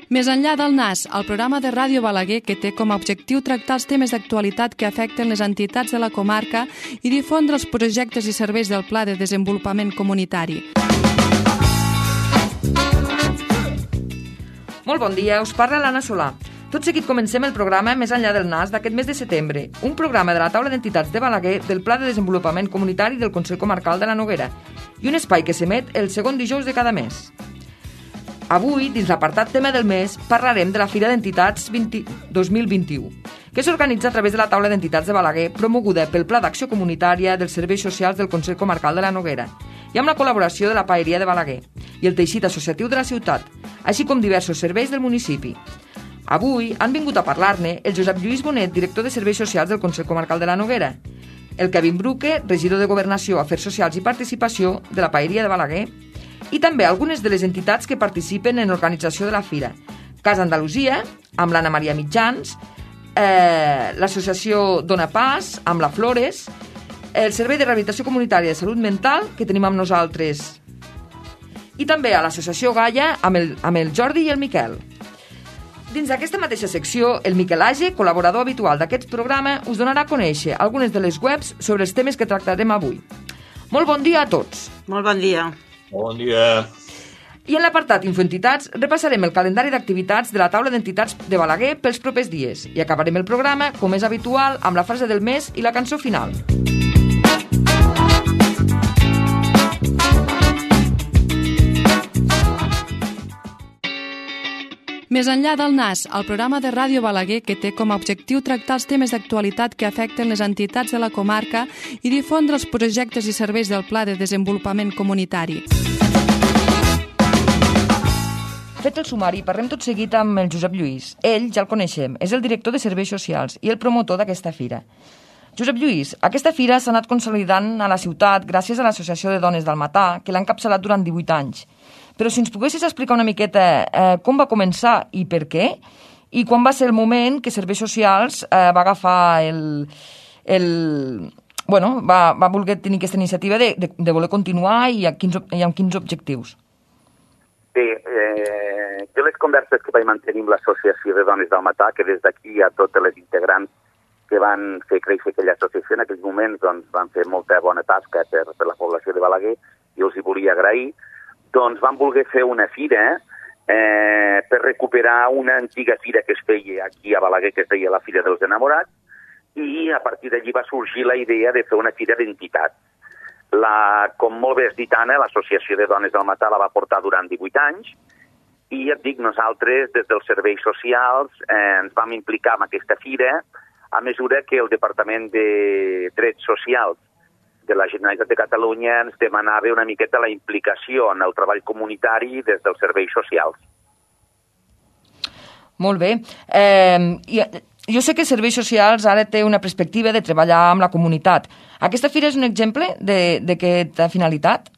Més enllà del NAS, el programa de Ràdio Balaguer que té com a objectiu tractar els temes d'actualitat que afecten les entitats de la comarca i difondre els projectes i serveis del Pla de Desenvolupament Comunitari. Molt bon dia, us parla l'Anna Solà. Tot seguit comencem el programa Més enllà del NAS d'aquest mes de setembre, un programa de la taula d'entitats de Balaguer del Pla de Desenvolupament Comunitari del Consell Comarcal de la Noguera i un espai que s'emet el segon dijous de cada mes. Avui, dins l'apartat tema del mes, parlarem de la Fira d'Entitats 2021, que s'organitza a través de la taula d'entitats de Balaguer, promoguda pel Pla d'Acció Comunitària dels Serveis Socials del Consell Comarcal de la Noguera i amb la col·laboració de la Paeria de Balaguer i el teixit associatiu de la ciutat, així com diversos serveis del municipi. Avui han vingut a parlar-ne el Josep Lluís Bonet, director de Serveis Socials del Consell Comarcal de la Noguera, el Kevin Bruque, regidor de Governació, Afers Socials i Participació de la Paeria de Balaguer, i també algunes de les entitats que participen en l'organització de la fira. Casa Andalusia, amb l'Anna Maria Mitjans, l'associació Dona Pas, amb la Flores, el Servei de Rehabilitació Comunitària de Salut Mental, que tenim amb nosaltres, i també a l'associació Gaia, amb el Jordi i el Miquel. Dins d'aquesta mateixa secció, el Miquel Age, col·laborador habitual d'aquest programa, us donarà a conèixer algunes de les webs sobre els temes que tractarem avui. Molt bon dia a tots. Molt bon dia. Bon dia. I en l'apartat Infoentitats repassarem el calendari d'activitats de la taula d'entitats de Balaguer pels propers dies i acabarem el programa, com és habitual, amb la frase del mes i la cançó final. Més enllà del NAS, el programa de Ràdio Balaguer que té com a objectiu tractar els temes d'actualitat que afecten les entitats de la comarca i difondre els projectes i serveis del Pla de Desenvolupament Comunitari. Fet el sumari, parlem tot seguit amb el Josep Lluís. Ell, ja el coneixem, és el director de Serveis Socials i el promotor d'aquesta fira. Josep Lluís, aquesta fira s'ha anat consolidant a la ciutat gràcies a l'Associació de Dones del Matà, que l'ha encapçalat durant 18 anys. Però si ens poguessis explicar una miqueta com va començar i per què, i quan va ser el moment que Serveis Socials va agafar va voler tenir aquesta iniciativa de voler continuar i amb quins objectius? Bé, jo les converses que vaig mantenir amb l'Associació de Dones del Matà, que des d'aquí hi ha totes les integrants que van fer créixer aquella associació, en aquells moments doncs, van fer molta bona tasca per la població de Balaguer i els hi volia agrair. Doncs van voler fer una fira per recuperar una antiga fira que es feia aquí a Balaguer, que es deia la Fira dels Enamorats, i a partir d'allí va sorgir la idea de fer una fira d'entitats. Com molt bé has dit, Anna, l'Associació de Dones del Matà la va portar durant 18 anys i et dic, nosaltres des dels serveis socials ens vam implicar en aquesta fira a mesura que el Departament de Drets Socials de la Generalitat de Catalunya ens demanava una miqueta la implicació en el treball comunitari des dels serveis socials. Molt bé. Jo sé que Serveis Socials ara té una perspectiva de treballar amb la comunitat. Aquesta fira és un exemple d'aquesta finalitat?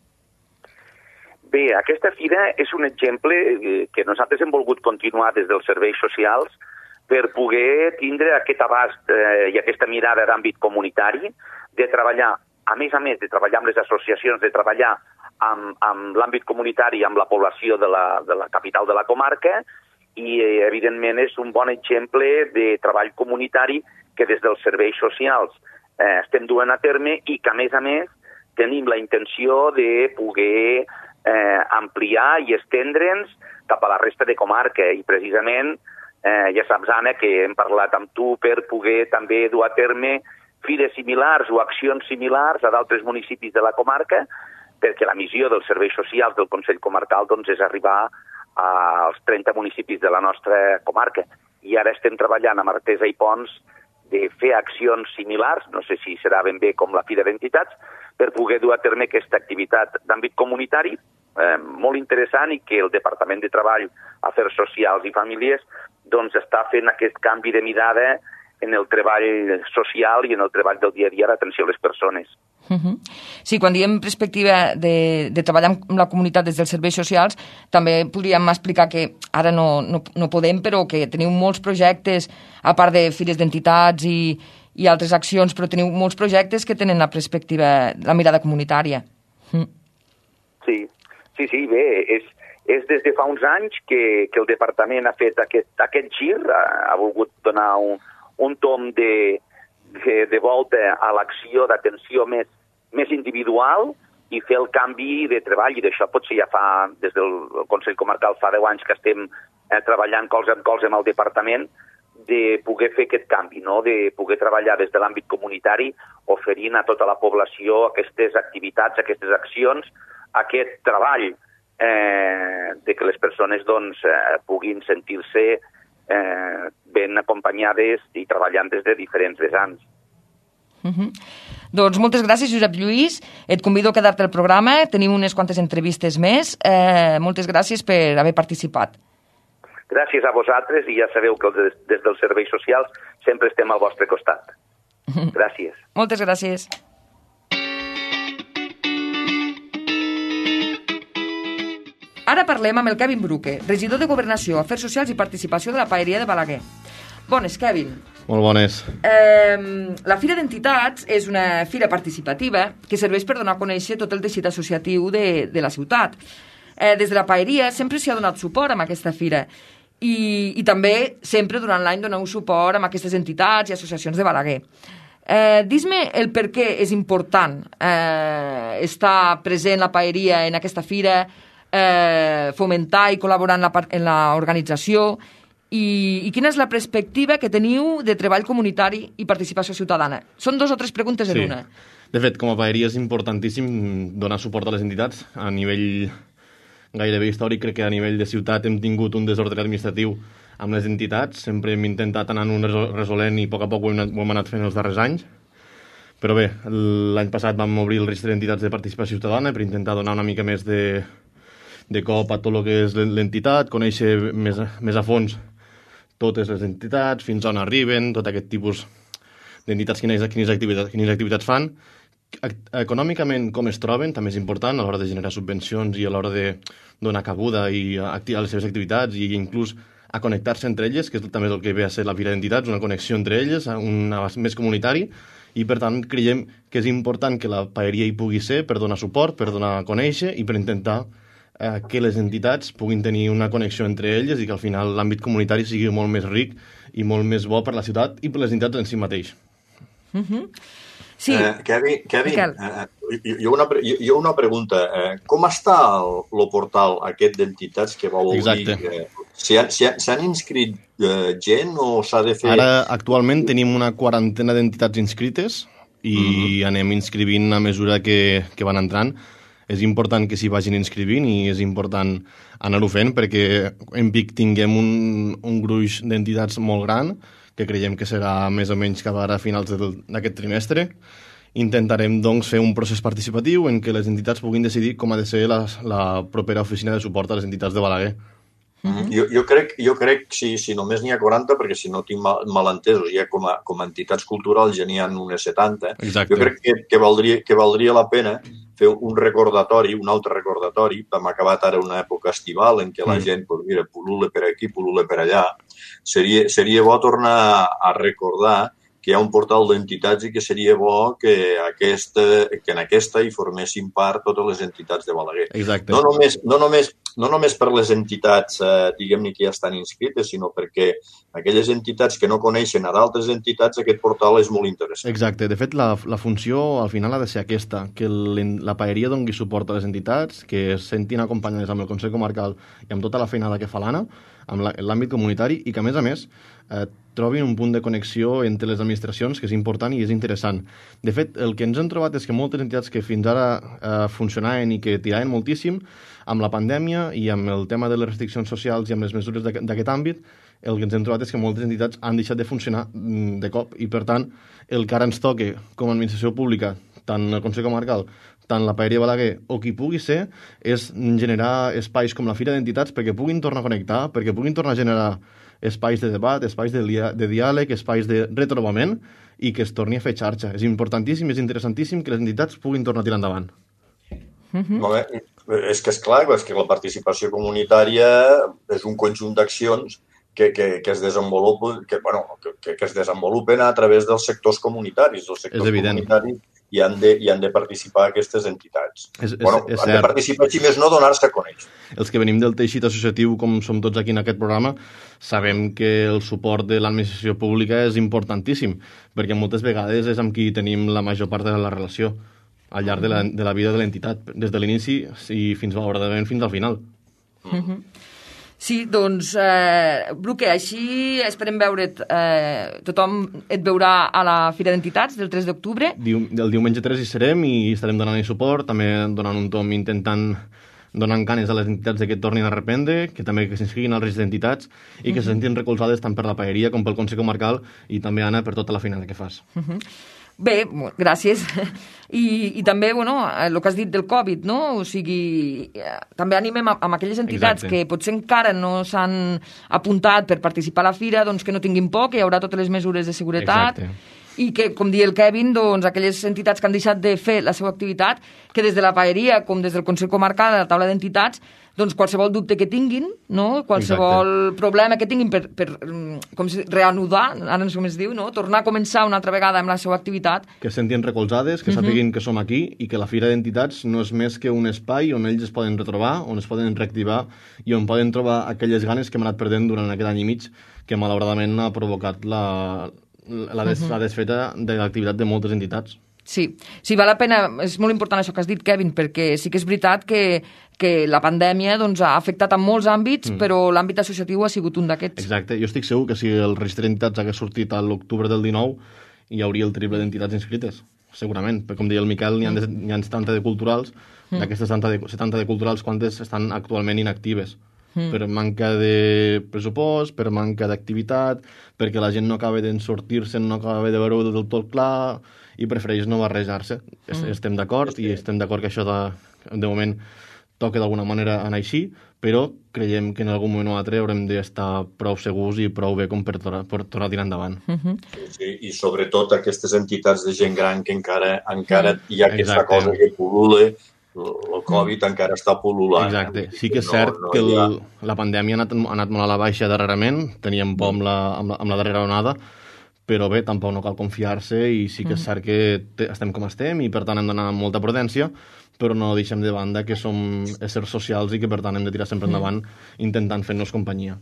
Bé, aquesta fira és un exemple que nosaltres hem volgut continuar des dels serveis socials per poder tindre aquest abast i aquesta mirada d'àmbit comunitari, de treballar, a més de treballar amb les associacions, de treballar amb l'àmbit comunitari, amb la població de la capital de la comarca, i evidentment és un bon exemple de treball comunitari que des dels serveis socials estem duent a terme i que a més tenim la intenció de poder ampliar i estendre'ns cap a la resta de comarca i precisament ja saps, Anna, que hem parlat amb tu per poder també dur a terme fires similars o accions similars a d'altres municipis de la comarca, perquè la missió dels serveis socials del Consell Comarcal doncs, és arribar als 30 municipis de la nostra comarca. I ara estem treballant amb Artesa i Pons de fer accions similars, no sé si serà ben bé com la Fira d'Entitats, per poder dur a terme aquesta activitat d'àmbit comunitari molt interessant i que el Departament de Treball, Afers Socials i Famílies doncs està fent aquest canvi de mirada en el treball social i en el treball del dia a dia d'atenció a les persones. Sí, quan diem perspectiva de treballar amb la comunitat des dels serveis socials, també podríem explicar que ara no podem, però que teniu molts projectes, a part de fires d'entitats i altres accions, però teniu molts projectes que tenen la perspectiva, la mirada comunitària. Sí, bé, És des de fa uns anys que el departament ha fet aquest gir, ha volgut donar un tom de volta a l'acció d'atenció més individual i fer el canvi de treball, i d'això potser ja fa, des del Consell Comarcal, fa 10 anys que estem treballant colze amb colze amb el departament, de poder fer aquest canvi, no? De poder treballar des de l'àmbit comunitari, oferint a tota la població aquestes activitats, aquestes accions, aquest treball de que les persones doncs, puguin sentir-se ben acompanyades i treballant des de diferents vessants. Doncs moltes gràcies, Josep Lluís. Et convido a quedar-te al programa. Tenim unes quantes entrevistes més. Moltes gràcies per haver participat. Gràcies a vosaltres, i ja sabeu que des dels serveis socials sempre estem al vostre costat. Gràcies. Moltes gràcies. Ara parlem amb el Kevin Bruque, regidor de Governació, Afers Socials i Participació de la Paeria de Balaguer. Bones, Kevin. Molt bones. La Fira d'Entitats és una fira participativa que serveix per donar a conèixer tot el teixit associatiu de la ciutat. Des de la Paeria sempre s'hi ha donat suport amb aquesta fira i també sempre durant l'any doneu suport amb aquestes entitats i associacions de Balaguer. Dis-me el per què és important estar present la Paeria en aquesta fira, fomentar i col·laborar en l'organització i quina és la perspectiva que teniu de treball comunitari i participació ciutadana. Són 2 o 3 preguntes en una. De fet, com a Paeria és importantíssim donar suport a les entitats. A nivell gairebé històric, crec que a nivell de ciutat hem tingut un desordre administratiu amb les entitats. Sempre hem intentat anar-ho resolent i a poc ho hem anat fent els darrers anys. Però bé, l'any passat vam obrir el registre d'entitats de participació ciutadana per intentar donar una mica més de cop a tot el que és l'entitat, conèixer més a fons totes les entitats, fins on arriben, tot aquest tipus d'entitats, quines activitats fan. Econòmicament, com es troben, també és important a l'hora de generar subvencions i a l'hora de donar cabuda i activar les seves activitats i inclús a connectar-se entre elles, que també és el que ve a ser la Fira d'Entitats, una connexió entre elles, un abast més comunitari, i per tant creiem que és important que la Paeria hi pugui ser per donar suport, per donar a conèixer i per intentar que les entitats puguin tenir una connexió entre elles i que al final l'àmbit comunitari sigui molt més ric i molt més bo per la ciutat i per les entitats en si mateix. Sí. Kevin, jo una pregunta. Com està el portal aquest d'entitats que vau obrir? Exacte. S'han inscrit gent o s'ha de fer... Ara, actualment, tenim una 40 d'entitats inscrites i anem inscrivint a mesura que van entrant. És important que s'hi vagin inscrivint i és important anar-ho fent perquè en Vic tinguem un gruix d'entitats molt gran, que creiem que serà més o menys cap ara a finals d'aquest trimestre. Intentarem, doncs, fer un procés participatiu en què les entitats puguin decidir com ha de ser la propera oficina de suport a les entitats de Balaguer. Jo crec si només n'hi ha 40, perquè si no tinc malentesos, ja com a entitats culturals ja n'hi ha unes 70. Exacte. Jo crec que valdria la pena fer un recordatori, un altre recordatori. Hem acabat ara una època estival en què la gent, pul·lula per aquí, pul·lula per allà. Seria bo tornar a recordar que hi ha un portal d'entitats i que seria bo que en aquesta hi formessin part totes les entitats de Balaguer. Exacte. No només per les entitats, diguem-ne, que ja estan inscrites, sinó perquè aquelles entitats que no coneixen a d'altres entitats, aquest portal és molt interessant. Exacte. De fet, la funció al final ha de ser aquesta, que la Paeria doni suport a les entitats, que es sentin acompanyades amb el Consell Comarcal i amb tota la feinada que fa l'Anna, amb l'àmbit comunitari, i que, a més, trobin un punt de connexió entre les administracions, que és important i és interessant. De fet, el que ens hem trobat és que moltes entitats que fins ara funcionaven i que tiraven moltíssim, amb la pandèmia i amb el tema de les restriccions socials i amb les mesures d'aquest àmbit, el que ens hem trobat és que moltes entitats han deixat de funcionar de cop i, per tant, el que ara ens toca com a administració pública, tant el Consell Comarcal, tant la Paeria Balaguer o qui pugui ser, és generar espais com la Fira d'Entitats perquè puguin tornar a connectar, perquè puguin tornar a generar espais de debat, espais de diàleg, espais de retrobament i que es torni a fer xarxa. És importantíssim, és interessantíssim que les entitats puguin tornar a tirar endavant. És que és clar, és que la participació comunitària és un conjunt d'accions que es desenvolupen a través dels sectors comunitaris. Els sectors comunitaris i han de participar aquestes entitats. És han de participar, si més no, donar-se a conèixer. Els que venim del teixit associatiu, com som tots aquí en aquest programa, sabem que el suport de l'administració pública és importantíssim, perquè moltes vegades és amb qui tenim la major part de la relació al llarg de la vida de l'entitat, des de l'inici i fins al final. Sí, doncs, Bruque, així esperem veure't. Tothom et veurà a la Fira d'Entitats del 3 d'octubre. El diumenge 3 hi serem i estarem donant suport, també donant un tom donant ganes a les entitats que tornin a reprendre, que també que s'inscriguin als registres d'entitats i que se sentin recolzades tant per la paeria com pel Consell Comarcal i també, Anna, per tota la feina que fas. Bé, gràcies. I també, el que has dit del Covid, no? O sigui, també animem amb aquelles entitats que potser encara no s'han apuntat per participar a la fira, doncs que no tinguin por, que hi haurà totes les mesures de seguretat. I que, com diu el Kevin, doncs aquelles entitats que han deixat de fer la seva activitat, que des de la paeria com des del Consell Comarcal, de la taula d'entitats, doncs qualsevol dubte que tinguin, no? Qualsevol problema que tinguin per reanudar, ara no sé com es diu, no? Tornar a començar una altra vegada amb la seva activitat. Que se sentin recolzades, que sàpiguin que som aquí i que la Fira d'Entitats no és més que un espai on ells es poden retrobar, on es poden reactivar i on poden trobar aquelles ganes que hem anat perdent durant aquest any i mig que malauradament ha provocat la desfeta de l'activitat de moltes entitats. Sí, val la pena, és molt important això que has dit, Kevin, perquè sí que és veritat que la pandèmia ha afectat en molts àmbits, però l'àmbit associatiu ha sigut un d'aquests. Exacte, jo estic segur que si el registre d'entitats hagués sortit a l'octubre del 19 hi hauria el triple d'entitats inscrites, segurament, perquè com deia el Miquel, n'hi ha 70 de culturals, d'aquestes 70 de culturals, quantes estan actualment inactives? Per manca de pressupost, per manca d'activitat, perquè la gent no acaba de sortir-se, no acaba de veure-ho del tot clar i prefereix no barrejar-se. Estem d'acord i estem d'acord que això de moment toca d'alguna manera anar així, però creiem que en algun moment o altre haurem d'estar prou segurs i prou bé com per tornar a tirar endavant. Sí, i sobretot aquestes entitats de gent gran que encara hi ha aquesta cosa que pul·lula. El Covid encara està pul·lulant. Exacte. Sí que és cert que la pandèmia ha anat molt a la baixa darrerament, teníem por amb la darrera onada, però bé, tampoc no cal confiar-se i sí que és cert que estem com estem i per tant hem d'anar amb molta prudència, però no deixem de banda que som éssers socials i que per tant hem de tirar sempre endavant intentant fer-nos companyia.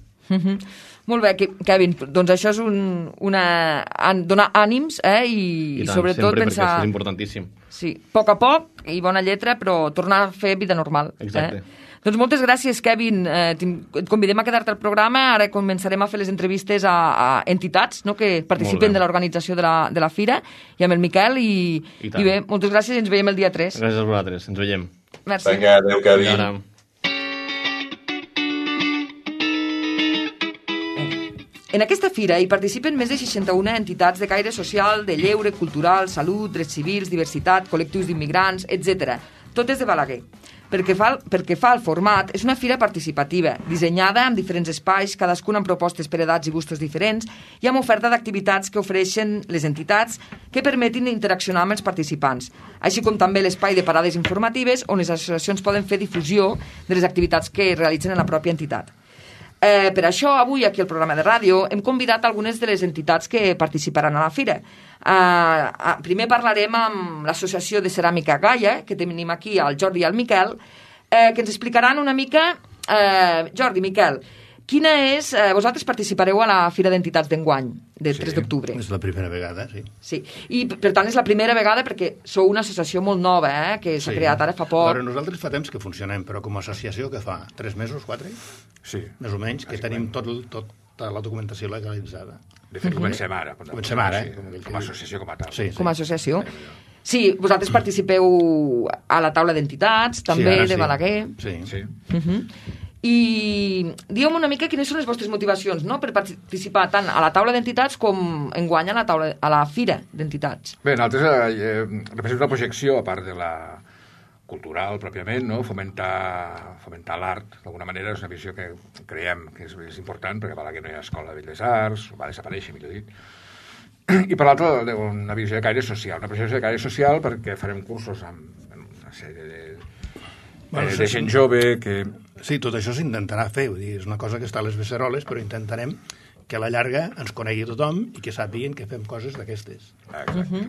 Molt bé, Kevin, doncs això és donar ànims i sobretot sempre, pensar... perquè és importantíssim. Sí, a poc i bona lletra, però tornar a fer vida normal. Exacte. Doncs moltes gràcies, Kevin. Et convidem a quedar-te al programa. Ara començarem a fer les entrevistes a entitats que participen de l'organització de la fira i amb el Miquel. I bé, moltes gràcies i ens veiem el dia 3. Gràcies a vosaltres, ens veiem. Merci. Vinga, adéu, Kevin. En aquesta fira hi participen més de 61 entitats de caire social, de lleure, cultural, salut, drets civils, diversitat, col·lectius d'immigrants, etc. Totes de Balaguer. Perquè fa el format, és una fira participativa, dissenyada amb diferents espais, cadascun amb propostes per edats i gustos diferents, i amb oferta d'activitats que ofereixen les entitats que permetin interaccionar amb els participants, així com també l'espai de parades informatives on les associacions poden fer difusió de les activitats que realitzen en la pròpia entitat. Per això, avui, aquí al programa de ràdio, hem convidat algunes de les entitats que participaran a la fira. Primer parlarem amb l'Associació de Ceràmica Gaia, que tenim aquí el Jordi i el Miquel, que ens explicaran una mica... Jordi, Miquel, quina és... Vosaltres participareu a la Fira d'Entitats d'enguany, del 3 d'octubre. És la primera vegada, sí. Sí, i per tant és la primera vegada perquè sou una associació molt nova, que s'ha creat ara fa poc. Però nosaltres fa temps que funcionem, però com a associació que fa 3 mesos, 4? Sí. Més o menys, que tenim tota la documentació legalitzada. De fet, comencem ara. Comencem ara, com a associació com a tal. Sí. Com a associació. Sí, vosaltres participeu a la taula d'entitats, també, de Balaguer. Sí. I digue'm una mica quines són les vostres motivacions, no?, per participar tant a la taula d'entitats com enguany a la fira d'entitats. Bé, nosaltres representem una projecció, a part de la cultural pròpiament, no? Fomentar l'art, d'alguna manera, és una visió que creiem que és important, perquè a Balaguer no hi ha escola de belles arts, va desaparèixer, millor dit. I per l'altra, una visió de caire social, una projecció de caire social perquè farem cursos amb una sèrie de gent jove que... Sí, tot això s'intentarà fer, vull dir, és una cosa que està a les beceroles, però intentarem que a la llarga ens conegui tothom i que sàpiguen que fem coses d'aquestes.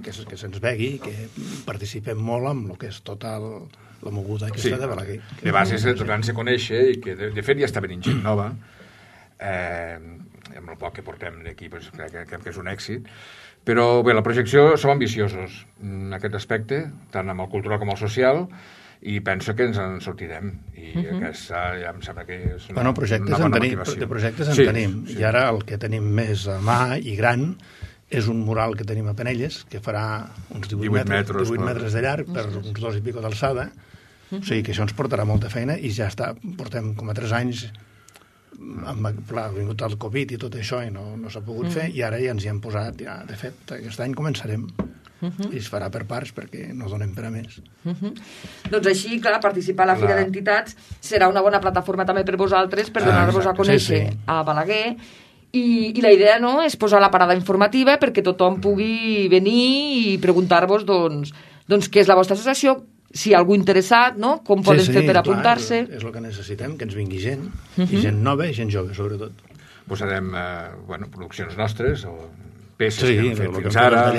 Que se'ns vegi, que participem molt amb el que és tota la moguda aquesta de Balaguer. De base és tornar-se a conèixer i que de fet ja està venint gent nova, amb el poc que portem d'aquí crec que és un èxit. Però bé, la projecció som ambiciosos en aquest aspecte, tant amb el cultural com el social, i penso que ens en sortirem. I aquesta ja em sembla que és una bona motivació. De projectes en tenim. I ara el que tenim més a mà i gran és un mural que tenim a Penelles, que farà uns 18 metres de llarg per uns 2 i pico d'alçada. O sigui que això ens portarà molta feina i ja està. Portem com a 3 anys ha vingut el Covid i tot això i no s'ha pogut fer, i ara ja ens hi hem posat, de fet, aquest any començarem i es farà per parts perquè no donem per a més. Doncs així, clar, participar a la Fira d'Entitats serà una bona plataforma també per vosaltres per donar-vos a conèixer a Balaguer, i la idea és posar la parada informativa perquè tothom pugui venir i preguntar-vos doncs què és la vostra associació, si hi ha algú interessat, com poden fer per apuntar-se. És el que necessitem, que ens vingui gent, i gent nova i gent jove, sobretot. Posarem produccions nostres o peces que hem fet fins ara.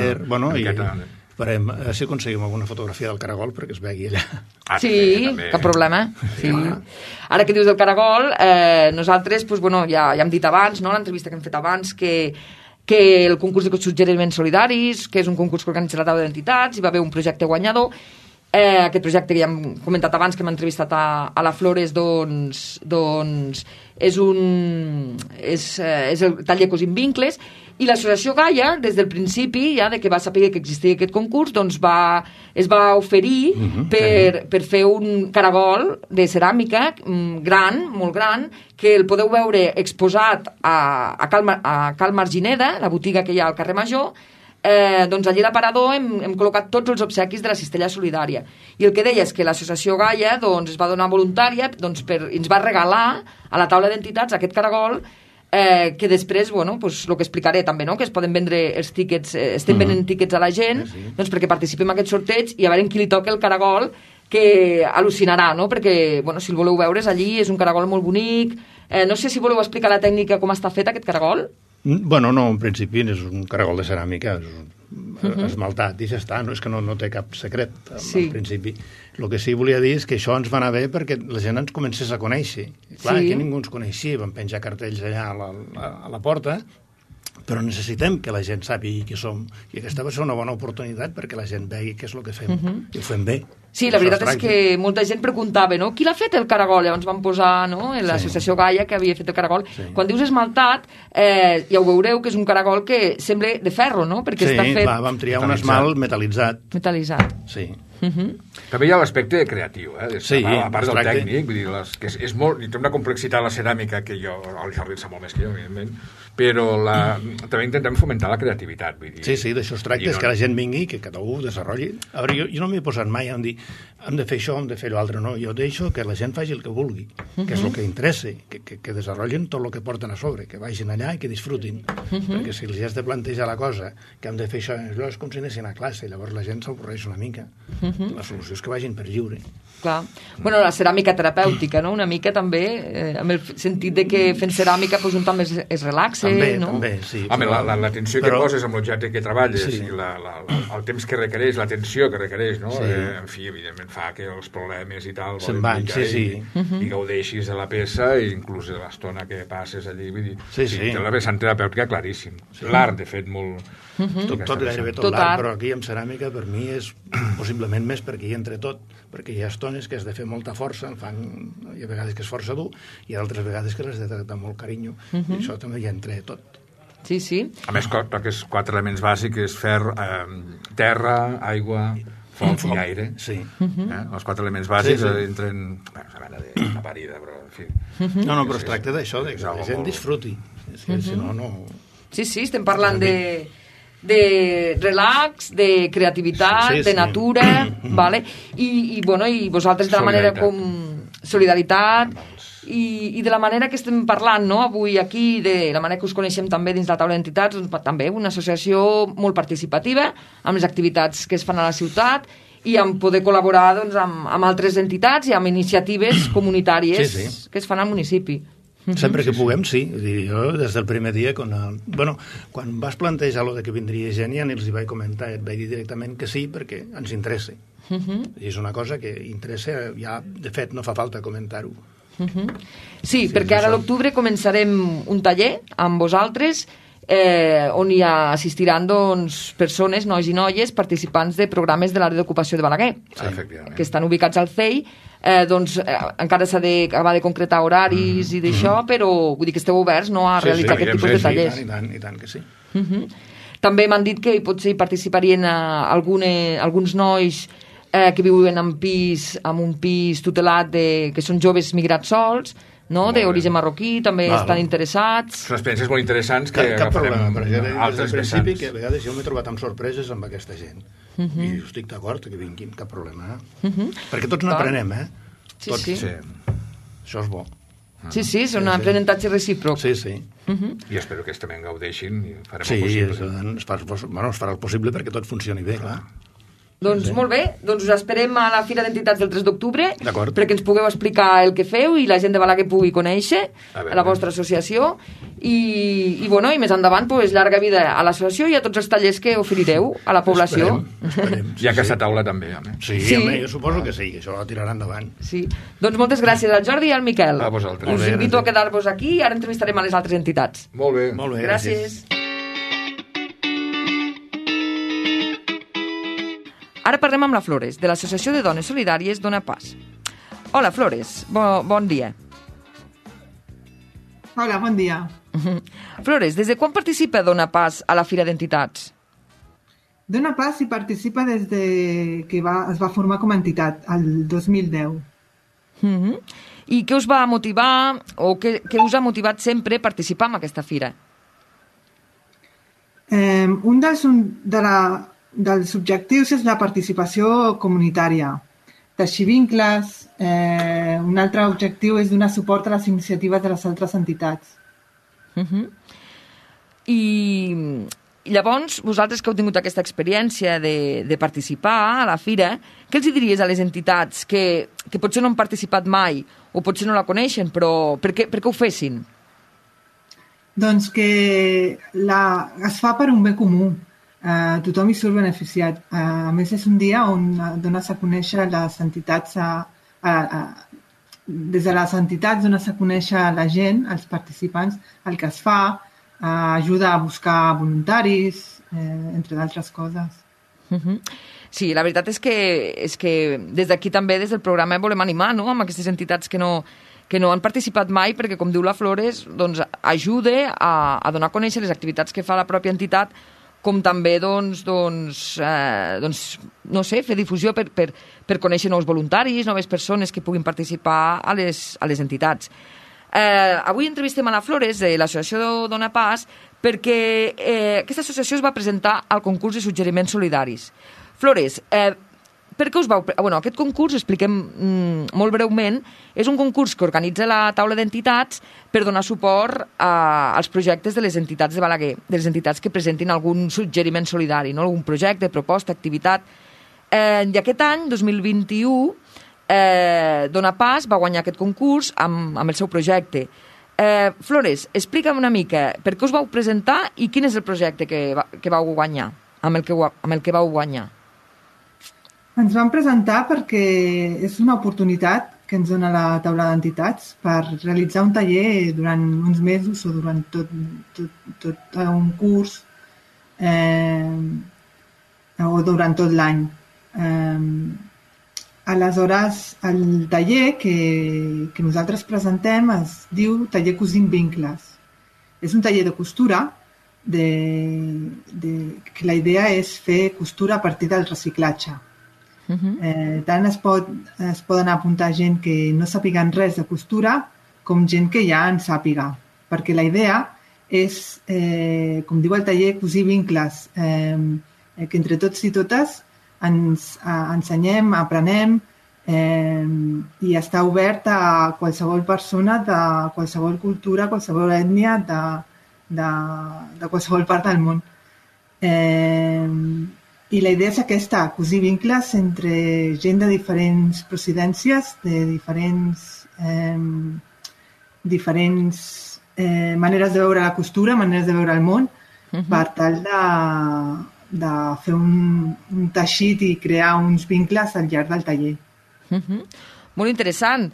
Farem, si aconseguim alguna fotografia del caragol perquè es vegi allà. Sí, cap problema. Ara que dius del caragol, nosaltres ja hem dit abans, l'entrevista que hem fet abans, que el concurs de suggeriments solidaris, que és un concurs que organitza la taula d'entitats, hi va haver un projecte guanyador. Aquest projecte que ja hem comentat abans, que hem entrevistat a la Flores, doncs és el taller Cosint Vincles, i l'associació Gaia, des del principi, ja de que va saber que existia aquest concurs, doncs es va oferir per fer un caragol de ceràmica gran, molt gran, que el podeu veure exposat a Cal Margineda, la botiga que hi ha al carrer Major. Doncs allí a l'aparador hem col·locat tots els obsequis de la cistella solidària, i el que deia és que l'associació Gaia es va donar voluntària, ens va regalar a la taula d'entitats aquest caragol, que després, el que explicaré també, que es poden vendre els tíquets, estem venent tíquets a la gent, doncs perquè participem en aquest sorteig i a veure qui li toca el caragol, que al·lucinarà, perquè si el voleu veure allí, és un caragol molt bonic. No sé si voleu explicar la tècnica, com està fet aquest caragol. No, en principi és un caragol de ceràmica esmaltat i ja està, és que no té cap secret en principi. El que sí volia dir és que això ens va anar bé perquè la gent ens comencés a conèixer. Clar, aquí ningú ens coneixia, vam penjar cartells allà a la porta, però necessitem que la gent sàpiga qui som, i aquesta va ser una bona oportunitat perquè la gent vegi què és el que fem, i ho fem bé. Sí, la veritat és que molta gent preguntava, qui l'ha fet el caragol? Llavors vam posar l'associació Gaia que havia fet el caragol. Quan dius esmaltat, ja ho veureu que és un caragol que sembla de ferro, perquè està fet... Sí, vam triar un esmalt metal·litzat. Sí. També hi ha l'aspecte creatiu, a part del tècnic, vull dir, que és molt, té una complexitat la ceràmica que el Jordi en sap molt més que jo, evidentment, però també intentem fomentar la creativitat, vull dir. Sí, d'això es tracta, és que la gent vingui, que cada un desenvolupi. A veure, jo no m'he posat mai a dir hem de fer això, hem de fer l'altre, no, jo deixo que la gent faci el que vulgui, que és el que interessa, que desenvolupin tot el que porten a sobre, que vagin allà i que disfrutin, perquè si els has de plantejar la cosa, que hem de fer això, és com si anessin a classe, llavors la gent s'avorreix una mica. La solució és que vagin per lliure. Clar. La ceràmica terapèutica, una mica també, amb el sentit de que fent ceràmica un també es relaxa, no? També, sí. Home, l'atenció que poses amb l'objecte que treballes i el temps que requereix, l'atenció que requereix, no? En fi, evidentment fa que els problemes i tal se'n van, i gaudeixis de la peça i inclús de l'estona que passes allí, vull dir, té la vessant terapèutica claríssim. L'art, de fet, molt... Tot gairebé tot l'art, però aquí amb ceràmica per mi és possiblement més perquè hi entra tot, perquè hi ha estones que has de fer molta força, hi ha vegades que és força dur i altres vegades que l'has de tractar amb molt carinyo, i això també hi entra tot. Sí. A més, aquests 4 elements bàsics és ferro, terra, aigua, foc i aire. Sí. Els 4 elements bàsics entren... Una mena de parida, però en fi... No, però es tracta d'això, que la gent disfruti. Si no, no... Sí, estem parlant de relax, de creativitat, de natura, vale? I vosaltres de la manera com solidaritat i de la manera que estem parlant, no? Avui aquí, de la manera que us coneixem també dins la taula d'entitats, també una associació molt participativa amb les activitats que es fan a la ciutat i amb poder col·laborar amb altres entitats i amb iniciatives comunitàries que es fan al municipi. Sempre que puguem, sí. Jo, des del primer dia, quan vas plantejar lo de que vindria gent, ja els hi vaig comentar, et vaig dir directament que sí, perquè ens interessa. I és una cosa que interessa, ja, de fet, no fa falta comentar-ho. Sí, perquè ara a l'octubre començarem un taller amb vosaltres on hi assistiran persones, nois i noies, participants de programes de l'àrea d'ocupació de Balaguer, que estan ubicats al CEI. Encara s'ha d'acabar de concretar horaris i d'això, però vull dir que esteu oberts a realitzar aquest tipus de tallers. I tant que sí. També m'han dit que potser hi participarien alguns nois que viuen en un pis tutelat que són joves migrats sols, d'origen marroquí, també estan interessats. Són experiències molt interessants que agafarem altres vessants. Que a vegades jo m'he trobat amb sorpreses amb aquesta gent. I estic d'acord que vinguin, cap problema. Perquè tots n'aprenem, Tots. Sí. Això és bo. Sí, és un aprenentatge recíproc. Sí. I espero que també en gaudeixin i farem el possible. Sí, es farà el possible perquè tot funcioni bé, clar. Doncs molt bé, doncs us esperem a la Fira d'Entitats del 3 d'octubre perquè ens pugueu explicar el que feu i la gent de Balaguer pugui conèixer la vostra associació i més endavant llarga vida a l'associació i a tots els tallers que oferireu a la població. Esperem. I a aquesta taula també. Sí, jo suposo que sí, que això la tirarà endavant. Sí. Doncs moltes gràcies al Jordi i al Miquel. A vosaltres. Us invito a quedar-vos aquí i ara entrevistarem a les altres entitats. Molt bé. Gràcies. Ara parlem amb la Flores, de l'Associació de Dones Solidàries Dona Pas. Hola, Flores, bon dia. Hola, bon dia. Flores, des de quan participa Dona Pas a la Fira d'Entitats? Dona Pas hi participa des de que es va formar com a entitat, el 2010. I què us va motivar, o què us ha motivat sempre a participar en aquesta fira? Un dels objectius és la participació comunitària, teixir vincles. Un altre objectiu és donar suport a les iniciatives de les altres entitats. I llavors, vosaltres que heu tingut aquesta experiència de participar a la fira, què els diries a les entitats que potser no han participat mai o potser no la coneixen, però per què ho fessin? Doncs que es fa per un bé comú. Tothom hi surt beneficiat. A més, és un dia on dones a conèixer les entitats, des de les entitats dones a conèixer la gent, els participants, el que es fa, ajuda a buscar voluntaris, entre d'altres coses. Sí, la veritat és que des d'aquí també, des del programa, volem animar amb aquestes entitats que no han participat mai, perquè, com diu la Flores, doncs, ajuda a donar a conèixer les activitats que fa la pròpia entitat, com també fer difusió per conèixer nous voluntaris, noves persones que puguin participar a les entitats. Avui entrevistem a la Flores de l'Associació Dona Pas perquè aquesta associació es va presentar al concurs de suggeriments solidaris. Flores, per què us vau... Aquest concurs, expliquem molt breument, és un concurs que organitza la taula d'entitats per donar suport als projectes de les entitats de Balaguer, de les entitats que presentin algun suggeriment solidari, algun projecte, proposta, activitat. I aquest any, 2021, Dona Pas va guanyar aquest concurs amb el seu projecte. Flores, explica'm una mica per què us vau presentar i quin és el projecte que vau guanyar, amb el que vau guanyar. Ens vam presentar perquè és una oportunitat que ens dona la taula d'entitats per realitzar un taller durant uns mesos o durant tot un curs o durant tot l'any. Aleshores, el taller que nosaltres presentem es diu Taller Cosint Vincles. És un taller de costura que la idea és fer costura a partir del reciclatge. Tant es poden apuntar gent que no sàpiguen res de costura com gent que ja en sàpiga, perquè la idea és, com diu el taller, cosir vincles, que entre tots i totes ens ensenyem, aprenem i està obert a qualsevol persona de qualsevol cultura, qualsevol ètnia, de qualsevol part del món. I la idea és aquesta, cosir vincles entre gent de diferents procedències, de diferents diferents maneres de veure la costura, maneres de veure el món, per tal de fer un teixit i crear uns vincles al llarg del taller. Molt interessant.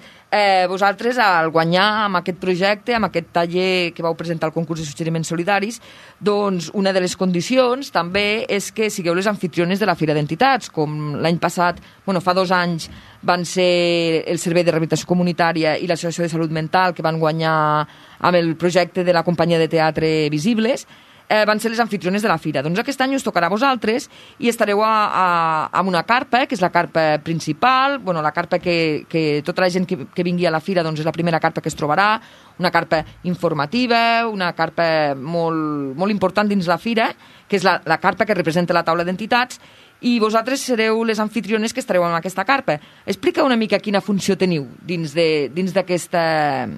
Vosaltres, al guanyar amb aquest projecte, amb aquest taller que vau presentar al concurs de suggeriments solidaris, doncs una de les condicions també és que sigueu les anfitriones de la Fira d'Entitats, com l'any passat, fa 2 anys, van ser el Servei de Rehabilitació Comunitària i l'Associació de Salut Mental, que van guanyar amb el projecte de la companyia de teatre Visibles, van ser les anfitriones de la fira. Doncs aquest any us tocarà a vosaltres i estareu amb una carpa, que és la carpa principal, la carpa que tota la gent que vingui a la fira doncs és la primera carpa que es trobarà, una carpa informativa, una carpa molt, molt important dins la fira, que és la carpa que representa la taula d'entitats, i vosaltres sereu les anfitriones que estareu en aquesta carpa. Explica una mica quina funció teniu dins d'aquesta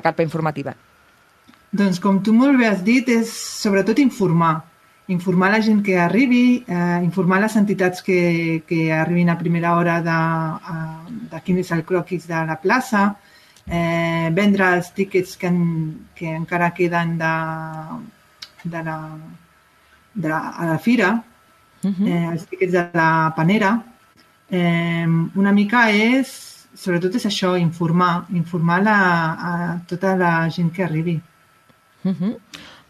carpa informativa. Doncs, com tu molt bé has dit, és sobretot informar la gent que arribi, informar les entitats que arribin a primera hora de quin és el croquis de la plaça, vendre els tíquets que encara queden a la fira, els tíquets de la panera. Una mica sobretot és això, informar a tota la gent que arribi.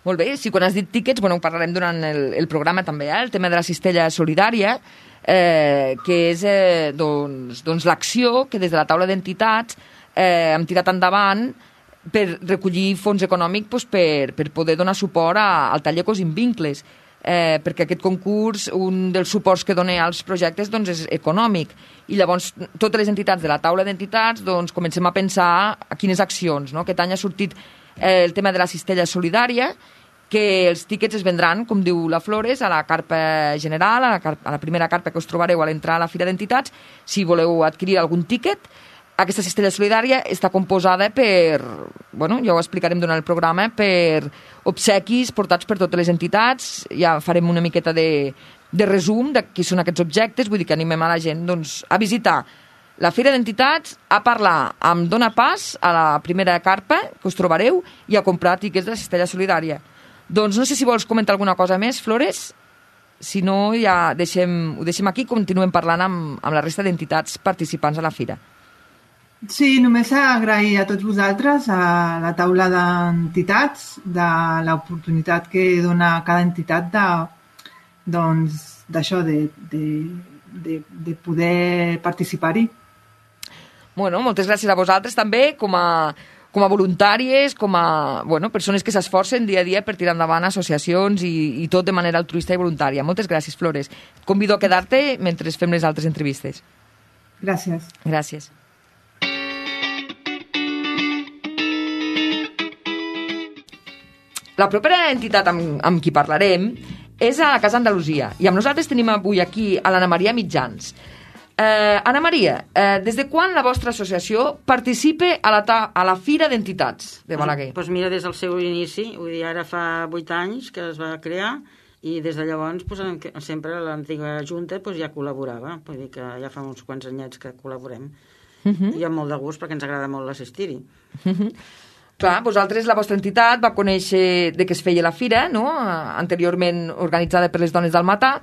Molt bé, quan has dit tíquets, ho parlarem durant el programa també, el tema de la cistella solidària, que és l'acció que des de la taula d'entitats hem tirat endavant per recollir fons econòmic per poder donar suport al taller Cosint Vincles, perquè aquest concurs, un dels suports que dona als projectes és econòmic, i llavors totes les entitats de la taula d'entitats comencem a pensar a quines accions. Aquest any ha sortit el tema de la cistella solidària, que els tíquets es vendran, com diu la Flores, a la carpa general, a la primera carpa que us trobareu a l'entrar a la Fira d'Entitats. Si voleu adquirir algun tíquet, aquesta cistella solidària està composada per, ja ho explicarem durant el programa, per obsequis portats per totes les entitats. Ja farem una miqueta de resum de qui són aquests objectes, vull dir que animem a la gent a visitar la Fira d'Entitats, a parlar amb Dona Pas a la primera carpa que us trobareu i a comprar tíquets de la cistella solidària. Doncs no sé si vols comentar alguna cosa més, Flores. Si no, ja ho deixem aquí i continuem parlant amb la resta d'entitats participants a la fira. Sí, només agrair a tots vosaltres, a la taula d'entitats, de l'oportunitat que dona cada entitat d'això, de poder participar-hi. Moltes gràcies a vosaltres també, com a voluntàries, com a persones que s'esforcen dia a dia per tirar endavant associacions i tot de manera altruista i voluntària. Moltes gràcies, Flores. Et convido a quedar-te mentre fem les altres entrevistes. Gràcies. Gràcies. La propera entitat amb qui parlarem és a la Casa Andalusia, i amb nosaltres tenim avui aquí a l'Anna Maria Mitjans. Anna Maria, des de quan la vostra associació participa a la Fira d'Entitats de Balaguer? Doncs mira, des del seu inici, vull dir, ara fa 8 anys que es va crear, i des de llavors sempre l'antiga Junta ja col·laborava, vull dir que ja fa uns quants anyets que col·laborem, i amb molt de gust perquè ens agrada molt assistir-hi. Clar, vosaltres, la vostra entitat, va conèixer de què es feia la fira, anteriorment organitzada per les dones del Matà,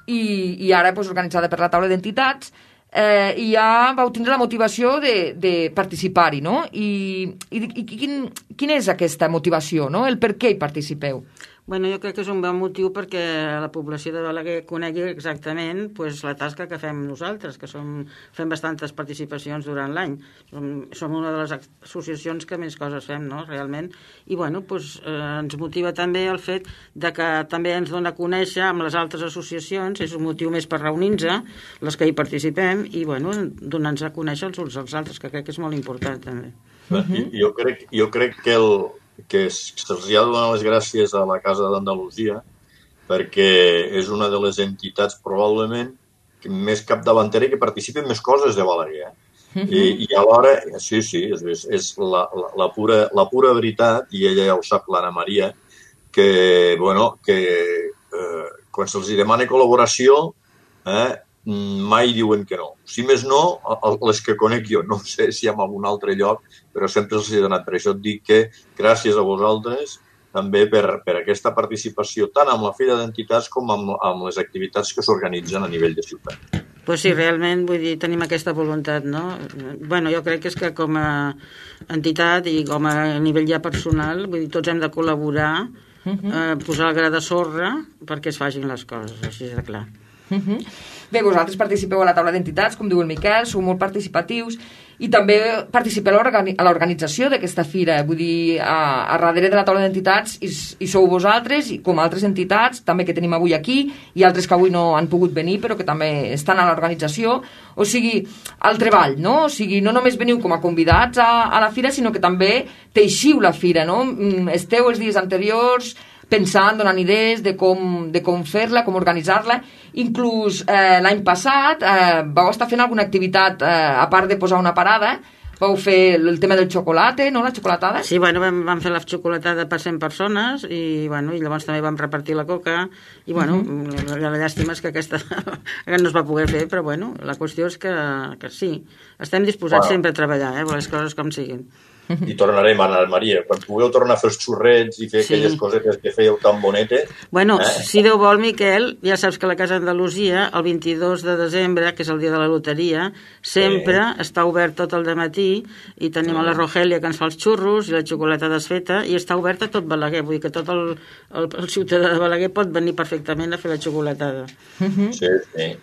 i ara organitzada per la taula d'entitats, i ja vau tindre la motivació de participar-hi, no? I quina és aquesta motivació, no? El per què hi participeu? Bueno, jo crec que és un bon motiu perquè la població de Balaguer conegui exactament la tasca que fem nosaltres, que fem bastantes participacions durant l'any. Som una de les associacions que més coses fem, no?, realment. I, ens motiva també el fet de que també ens dona a conèixer amb les altres associacions, és un motiu més per reunir-nos, les que hi participem, i, donar-nos a conèixer els uns als altres, que crec que és molt important, també. Jo crec que se'ls ha de donar les gràcies a la Casa d'Andalusia perquè és una de les entitats probablement més capdavantera i que participa en més coses de Balaguer. I alhora, sí, és la pura veritat, i ella ja ho sap, l'Anna Maria, que quan se'ls demana col·laboració mai diuen que no. Si més no, les que conec jo, no sé si en algun altre lloc, però sempre els he donat. Per això et dic que gràcies a vosaltres també per aquesta participació tant amb la Fira d'Entitats com amb les activitats que s'organitzen a nivell de ciutat. Pues sí, realment, vull dir, tenim aquesta voluntat, no? Bueno, jo crec que és que com a entitat i com a nivell ja personal, vull dir, tots hem de col·laborar, posar el gra de sorra perquè es facin les coses, així de clar. Bé, vosaltres participeu a la taula d'entitats, com diu el Miquel, sou molt participatius i també participeu a l'organització d'aquesta fira. Vull dir, a darrere de la taula d'entitats hi sou vosaltres, i com altres entitats, també que tenim avui aquí, i altres que avui no han pogut venir, però que també estan a l'organització. O sigui, al treball, no? O sigui, no només veniu com a convidats a la fira, sinó que també teixiu la fira, no? Esteu els dies anteriors pensant, donant idees de com fer-la, com organitzar-la. Inclús l'any passat vau estar fent alguna activitat, a part de posar una parada, vau fer el tema del xocolate, no?, la xocolatada? Sí, bueno, vam fer la xocolatada per 100 persones i llavors també vam repartir la coca i, bueno, la llàstima és que aquesta no es va poder fer, però, bueno, la qüestió és que sí, estem disposats sempre a treballar, les coses com siguin. I tornarem a anar, Maria. Quan pugueu tornar a fer els xurrets i fer aquelles coses que fèieu tan bonetes... Bueno, si Déu vol, Miquel, ja saps que la Casa Andalusia, el 22 de desembre, que és el dia de la loteria, sempre està obert tot el dematí i tenim a la Rogelia que ens fa els xurros i la xocolata desfeta i està oberta tot Balaguer. Vull dir que tot el ciutadà de Balaguer pot venir perfectament a fer la xocolatada. Sí, sí.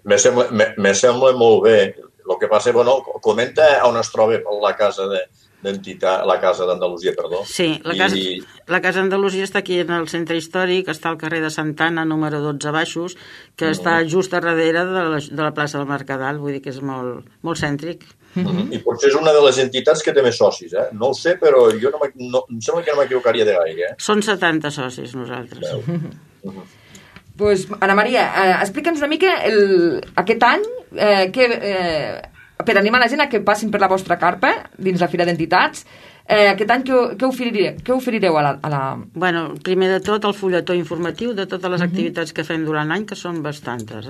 Me sembla molt bé. El que passa, bueno, comenta on es troba la casa d'entitat, la Casa d'Andalusia, perdó. Sí, la Casa Andalusia està aquí en el centre històric, està al carrer de Santana, número 12 baixos, que està just darrere de la plaça del Mercadal, vull dir que és molt cèntric. I potser és una de les entitats que té més socis, no ho sé, però jo em sembla que no m'equivocaria de gaire. Són 70 socis, nosaltres. Pues, Ana Maria, explica'ns una mica aquest any per animar la gent a que passin per la vostra carpa dins la Fira d'Entitats. Aquest any què oferireu a la... Bueno, primer de tot el fulletó informatiu de totes les activitats que fem durant l'any, que són bastantes.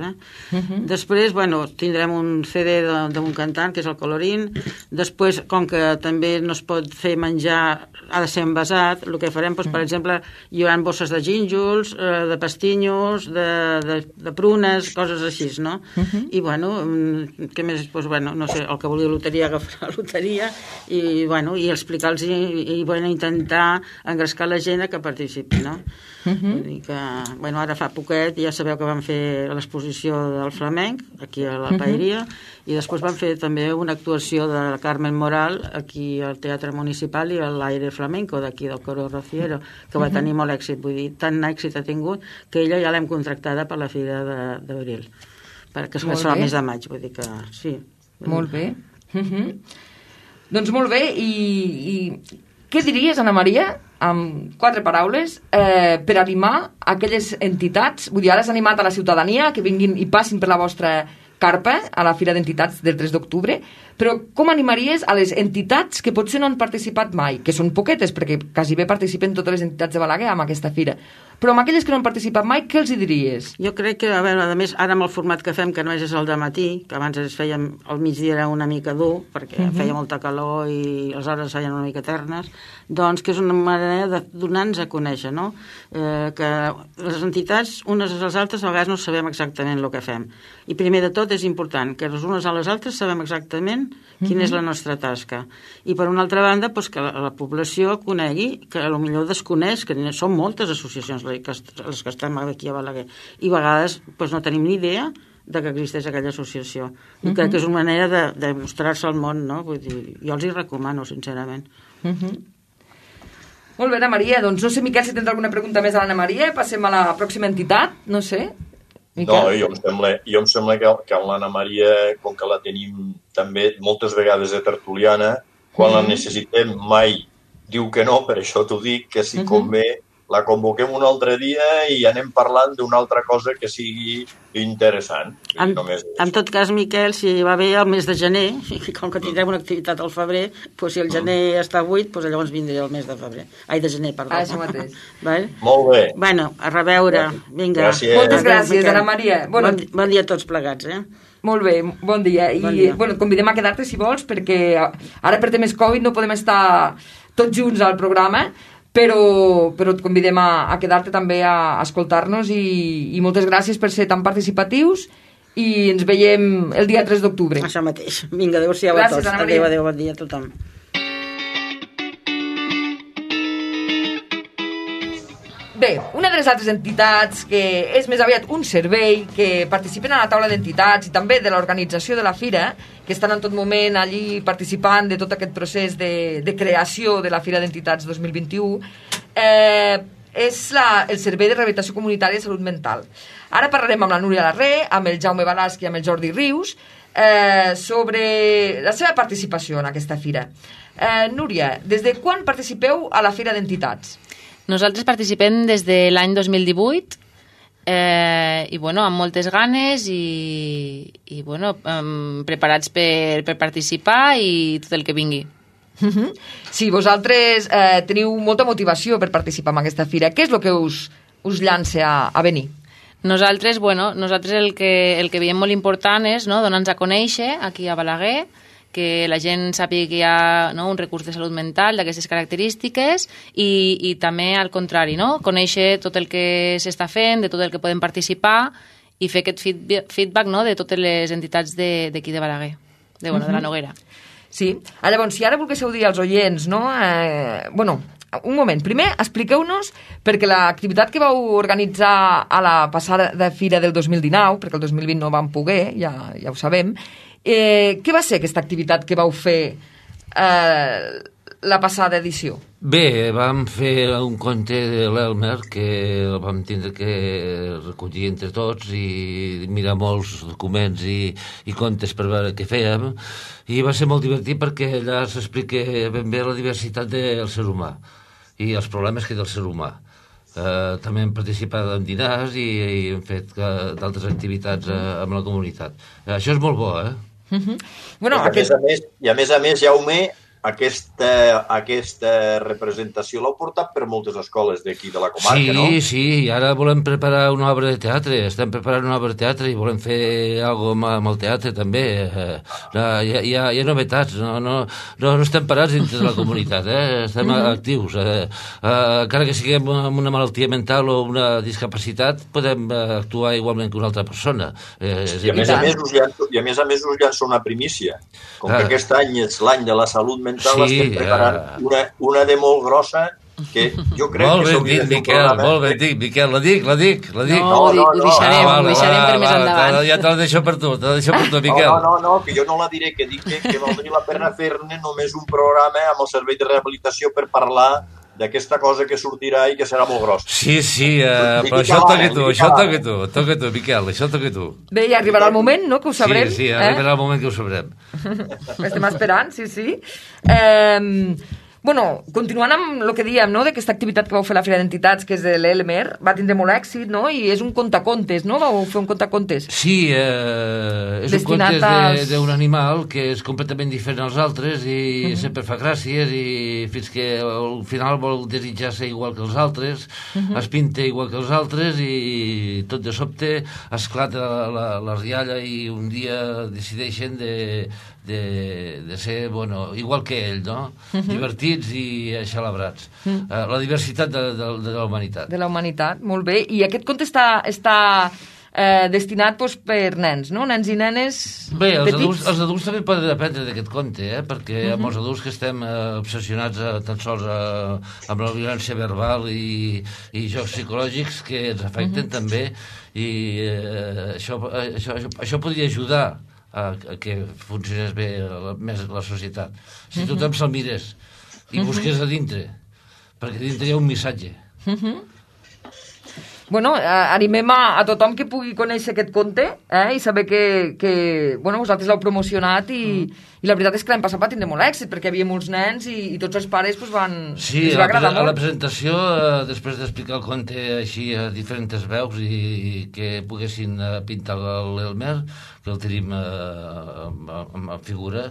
Després, bueno, tindrem un CD d'un cantant, que és el Colorín. Després, com que també no es pot fer menjar, ha de ser envasat, el que farem, per exemple, hi haurà bosses de gínjols, de pastinyos, de prunes, coses així, no? I, bueno, què més? Bueno, no sé, el que vulgui loteria agafarà la loteria i, bueno, i explicar i intentar engrescar la gent que participi, no? Vull dir que, bueno, ara fa poquet ja sabeu que vam fer l'exposició del flamenc aquí a la Paeria i després vam fer també una actuació de Carmen Moral aquí al Teatre Municipal i a l'Aire Flamenco d'aquí del Coro Rociero, que va tenir molt èxit, vull dir, tant èxit ha tingut que ella ja l'hem contractada per la Fira d'Abril, perquè es fa el mes de maig, vull dir que sí. Molt bé. Doncs molt bé, i què diries, Ana Maria, amb 4 paraules, per animar aquelles entitats, vull dir, ara has animat a la ciutadania que vinguin i passin per la vostra carpa a la Fira d'Entitats del 3 d'octubre, però com animaries a les entitats que potser no han participat mai, que són poquetes, perquè quasi bé participen totes les entitats de Balaguer amb aquesta fira, però amb aquelles que no han participat mai, què els hi diries? Jo crec que, a veure, a més, ara amb el format que fem, que no és el de matí, que abans es fèiem al migdia era una mica dur, perquè feia molta calor i les hores es feien una mica eternes, doncs que és una manera de donar-nos a conèixer, no? Que les entitats, unes a les altres, a vegades no sabem exactament el que fem. I primer de tot és important que les unes a les altres sabem exactament quina és la nostra tasca. I per una altra banda, doncs, que la població conegui, que potser desconeix, que són moltes associacions les que estem aquí a Balaguer, i a vegades doncs, no tenim ni idea de que existeix aquella associació. I crec que és una manera de mostrar-se al món, no? Vull dir, jo els hi recomano, sincerament. Molt bé, Ana Maria. Doncs no sé, Miquel, si tens alguna pregunta més a l'Anna Maria. Passem a la pròxima entitat, no sé. Miquel? No, jo em sembla que amb l'Anna Maria, com que la tenim també moltes vegades de tertuliana, quan la necessitem mai diu que no, per això t'ho dic, que si convé la convoquem un altre dia i anem parlant d'una altra cosa que sigui interessant. En tot cas, Miquel, si va bé el mes de gener, i com que tindrem una activitat al febrer, doncs si el gener està buit, doncs llavors vindré el mes de febrer. Ai, de gener, perdó. Això mateix. Molt bé. Bueno, a reveure. Vinga. Gràcies. Moltes gràcies, Ana Maria. Bon dia a tots plegats, Molt bé, bon dia. I et convidem a quedar-te si vols, perquè ara per temes Covid no podem estar tots junts al programa, però et convidem a quedar-te també a escoltar-nos i moltes gràcies per ser tan participatius i ens veiem el dia 3 d'octubre. Això mateix. Vinga, adéu-siau a tots. Adéu, bon dia a tothom. Bé, una de les altres entitats que és més aviat un servei, que participen a la taula d'entitats i també de l'organització de la fira, que estan en tot moment allí participant de tot aquest procés de creació de la Fira d'Entitats 2021, és el Servei de Rehabilitació Comunitària de Salut Mental. Ara parlarem amb la Núria Larré, amb el Jaume Balasc i amb el Jordi Rius sobre la seva participació en aquesta fira. Núria, des de quan participeu a la Fira d'Entitats? Nosaltres participem des de l'any 2018 i amb moltes ganes i preparats per participar i tot el que vingui. Sí, vosaltres teniu molta motivació per participar en aquesta fira. Què és el que us llança a venir? Nosaltres el que veiem molt important és donar-nos a conèixer aquí a Balaguer, que la gent sàpiga que hi ha un recurs de salut mental d'aquestes característiques i també al contrari, conèixer tot el que s'està fent, de tot el que podem participar i fer aquest feedback de totes les entitats d'aquí de Balaguer, de la Noguera. Sí, llavors, si ara volguéssiu dir als oients, un moment, primer expliqueu-nos, perquè l'activitat que vau organitzar a la passada fira del 2019, perquè el 2020 no vam poder, ja ho sabem, què va ser aquesta activitat que vau fer la passada edició? Bé, vam fer un conte de l'Elmer que el vam tindre que recollir entre tots i mirar molts documents i contes per veure què fèiem, i va ser molt divertit perquè allà s'explica ben bé la diversitat del ser humà i els problemes que té el ser humà. També hem participat en dinars i hem fet d'altres activitats amb la comunitat. Això és molt bo, I a més, Jaume, aquesta representació l'heu portat per moltes escoles d'aquí de la comarca, no? Sí, i ara volem preparar una obra de teatre, estem preparant una obra de teatre i volem fer alguna cosa amb el teatre també. Hi ha novetats, no estem parats dintre de la comunitat, estem actius. Encara que siguem amb una malaltia mental o una discapacitat, podem actuar igualment que una altra persona. I a més a més us llanço una primícia. Com que aquest any és l'any de la salut mental, estem preparant una de molt grossa que jo crec que s'hauria de fer un programa. Molt ben dit, Miquel, la dic. No, ho deixarem per més endavant. Ja te la deixo per tu, Miquel. No, que jo no la diré, que dic que valdria la pena fer-ne només un programa amb el servei de rehabilitació per parlar d'aquesta cosa que sortirà i que serà molt grossa. Sí, però això toca tu, Miquel, això toca tu. Bé, ja arribarà el moment, no?, que ho sabrem. Sí, arribarà el moment que ho sabrem. Estem esperant, sí. Continuant amb el que dèiem, d'aquesta activitat que vau fer a la Fira d'Entitats, que és de l'Elmer, va tindre molt èxit, i és un contacontes, no? Vau fer un contacontes. Sí, és un contes d'un animal que és completament diferent als altres i sempre fa gràcies i fins que al final vol desitjar ser igual que els altres, es pinta igual que els altres i tot de sobte esclata la rialla i un dia decideixen de ser, igual que ell, no? Divertits i celebrats. La diversitat de la humanitat. De la humanitat, molt bé. I aquest conte està destinat per nens, no? Nens i nenes petits? Els adults també poden aprendre d'aquest conte, perquè amb els adults que estem obsessionats tan sols amb la violència verbal i jocs psicològics que ens afecten també, i això podria ajudar a que funcionés bé més la societat. Si tothom se'l mirés i busqués a dintre, perquè dintre hi ha un missatge. Animem a tothom que pugui conèixer aquest conte i saber que vosaltres l'heu promocionat i I la veritat és que l'any passat va tindre molt èxit, perquè hi havia molts nens i tots els pares els va agradar molt. A la presentació, després d'explicar el conte així a diferents veus i que poguessin pintar l'Elmer, que el tenim a figura,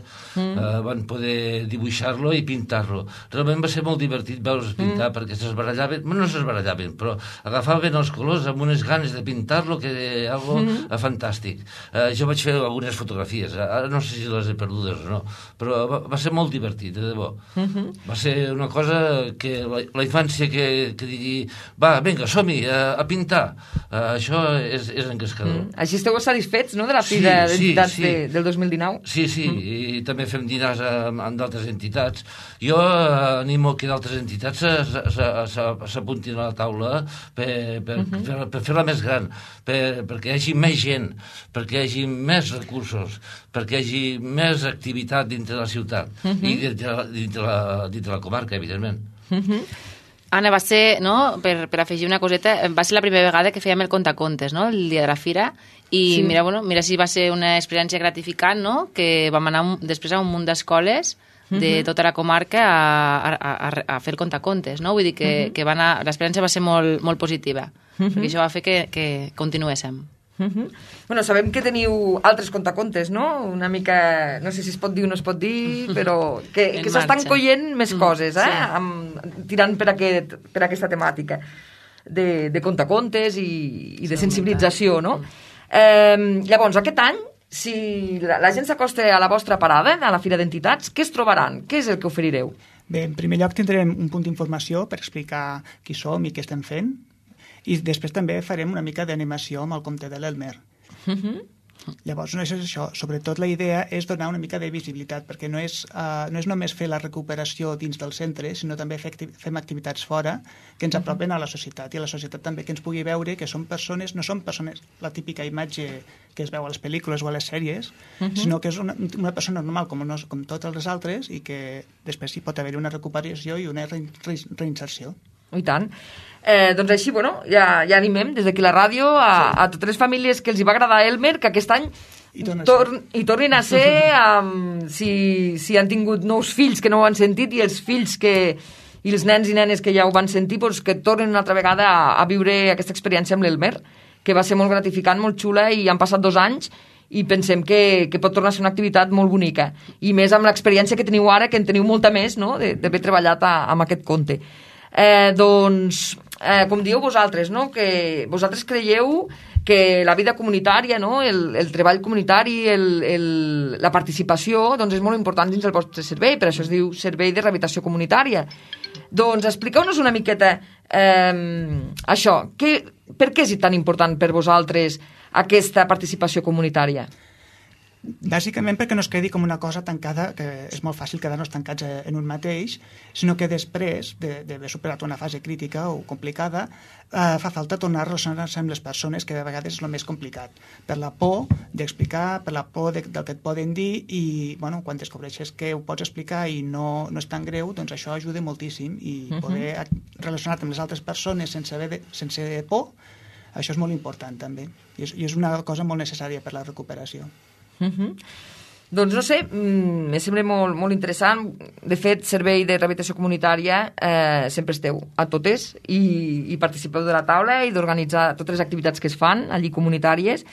van poder dibuixar-lo i pintar-lo. Realment va ser molt divertit veure's pintar, perquè s'esbarallaven, no s'esbarallaven, però agafaven els colors amb unes ganes de pintar-lo que era algo fantàstic. Jo vaig fer algunes fotografies, ara no sé si les he perdudes o no, però va ser molt divertit, de debò. Va ser una cosa que la infància que digui, va, vinga, som-hi, a pintar, això és engrescador. Així esteu satisfets, no?, de la fi d'entitats del 2019? Sí, i també fem dinars amb d'altres entitats. Jo animo que d'altres entitats s'apuntin a la taula per fer-la més gran, perquè hi hagi més gent, perquè hi hagi més recursos, perquè hi hagi més activitat dintre de la ciutat i dintre la comarca, evidentment. Anna, va ser, no, per afegir una coseta, va ser la primera vegada que fèiem el contacontes, no?, el dia de la fira, i mira si va ser una experiència gratificant, no?, que vam anar després a un munt d'escoles de tota la comarca a fer el contacontes, no? Vull dir que l'experiència va ser molt positiva, perquè això va fer que continuéssim. Bueno, sabem que teniu altres contacontes, no? Una mica, no sé si es pot dir o no es pot dir, però que s'estan coient més coses, tirant per aquesta temàtica de contacontes i de sensibilització, no? Llavors, aquest any, si la gent s'acosta a la vostra parada, a la Fira d'Entitats, què es trobaran? Què és el que oferireu? Bé, en primer lloc tindrem un punt d'informació per explicar qui som i què estem fent, i després també farem una mica d'animació amb el conte de l'Elmer. Llavors, no és això. Sobretot la idea és donar una mica de visibilitat, perquè no és només fer la recuperació dins del centre, sinó també fem activitats fora que ens apropen a la societat, i a la societat també que ens pugui veure que no són persones, la típica imatge que es veu a les pel·lícules o a les sèries, sinó que és una persona normal com totes les altres, i que després hi pot haver una recuperació i una reinserció. I tant. Doncs així, bueno, ja animem des d'aquí la ràdio a totes les famílies que els hi va agradar Elmer, que aquest any hi tornin a ser, si han tingut nous fills que no ho han sentit, i els fills i els nens i nenes que ja ho van sentir, doncs que tornin una altra vegada a viure aquesta experiència amb l'Elmer, que va ser molt gratificant, molt xula, i han passat 2 anys i pensem que pot tornar a ser una activitat molt bonica, i més amb l'experiència que teniu ara, que en teniu molta més, no?, d'haver treballat amb aquest conte. Doncs, com dieu vosaltres, no?, que vosaltres creieu que la vida comunitària, no?, el treball comunitari, la participació, doncs és molt important dins del vostre servei, per això es diu Servei de Rehabilitació Comunitària. Doncs expliqueu-nos una miqueta això, per què és tan important per vosaltres aquesta participació comunitària? Bàsicament perquè no es quedi com una cosa tancada, que és molt fàcil quedar-nos tancats en un mateix, sinó que després d'haver superat una fase crítica o complicada, fa falta tornar a relacionar-se amb les persones, que de vegades és el més complicat, per la por d'explicar, per la por del que et poden dir, i bueno, quan descobreixes que ho pots explicar i no és tan greu, doncs això ajuda moltíssim, i poder relacionar-te amb les altres persones sense por, això és molt important també, i és una cosa molt necessària per la recuperació. Doncs no sé, me sembla molt interessant. De fet, Servei de Rehabilitació Comunitària sempre esteu a totes i participeu de la taula i d'organitzar totes les activitats que es fan allí comunitàries,